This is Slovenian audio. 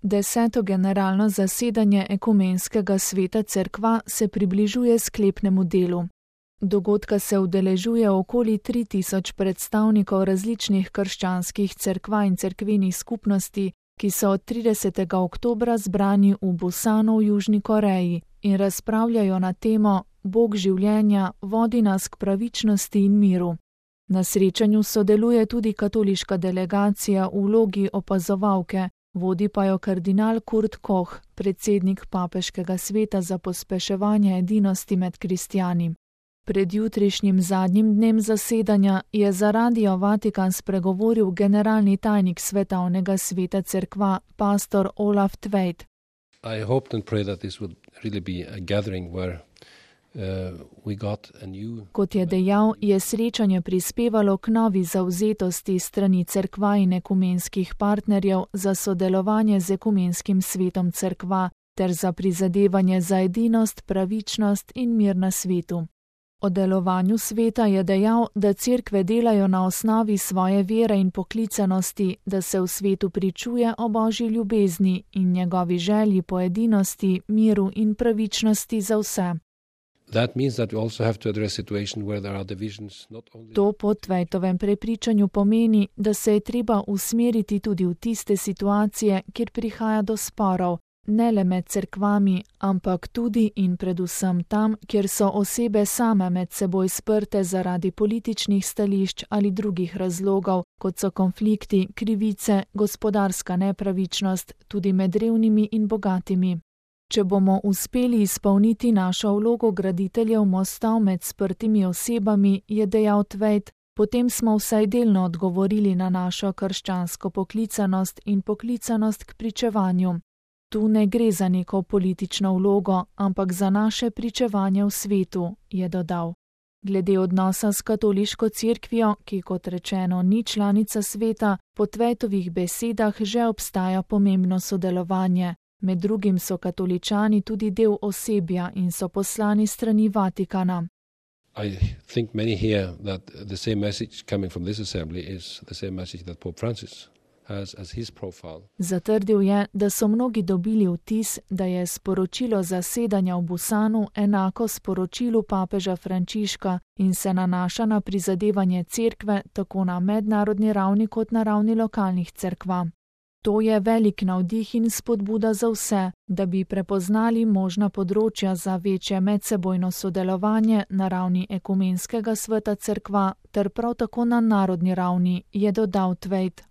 10. generalno zasedanje Ekumenskega sveta cerkva se približuje sklepnemu delu. Dogodka se udeležuje okoli 3000 predstavnikov različnih krščanskih cerkva in cerkvenih skupnosti, ki so od 30. oktobra zbrani v Busanu v Južni Koreji in razpravljajo na temo Bog življenja vodi nas k pravičnosti in miru. Na srečanju sodeluje tudi katoliška delegacija v vlogi opazovalke, vodi pa jo kardinal Kurt Koch, predsednik papeškega sveta za pospeševanje edinosti med kristjani. Pred jutrišnjim zadnjim dnem zasedanja je za Radio Vatikan spregovoril generalni tajnik Svetovnega sveta cerkva, pastor Olaf Tveit. I hoped and prayed that this would really be a gathering where Kot je dejal, je srečanje prispevalo k novi zavzetosti strani cerkva in ekumenskih partnerjev za sodelovanje z Ekumenskim svetom cerkva ter za prizadevanje za edinost, pravičnost in mir na svetu. O delovanju sveta je dejal, da cerkve delajo na osnovi svoje vere in poklicanosti, da se v svetu pričuje o Božji ljubezni in njegovi želji po edinosti, miru in pravičnosti za vse. To po Tveitovem prepričanju pomeni, da se je treba usmeriti tudi v tiste situacije, kjer prihaja do sporov, ne le med cerkvami, ampak tudi in predvsem tam, kjer so osebe same med seboj sprte zaradi političnih stališč ali drugih razlogov, kot so konflikti, krivice, gospodarska nepravičnost, tudi med revnimi in bogatimi. Če bomo uspeli izpolniti našo vlogo graditeljev mostov med sprtimi osebami, je dejal Tveit, potem smo vsaj delno odgovorili na našo krščansko poklicanost in poklicanost k pričevanju. Tu ne gre za neko politično vlogo, ampak za naše pričevanje v svetu, je dodal. Glede odnosa s katoliško cerkvijo, ki kot rečeno ni članica sveta, po Tveitovih besedah že obstaja pomembno sodelovanje. Med drugim so katoličani tudi del osebja in so poslani strani Vatikana. I think many hear that the same message coming from this assembly is the same message that Pope Francis has as his profile. Zatrdil je, da so mnogi dobili vtis, da je sporočilo zasedanja v Busanu enako sporočilu papeža Frančiška in se nanaša na prizadevanje cerkve tako na mednarodni ravni kot na ravni lokalnih cerkva. To je velik navdih in spodbuda za vse, da bi prepoznali možna področja za večje medsebojno sodelovanje na ravni Ekumenskega sveta cerkva ter prav tako na narodni ravni, je dodal Tveit.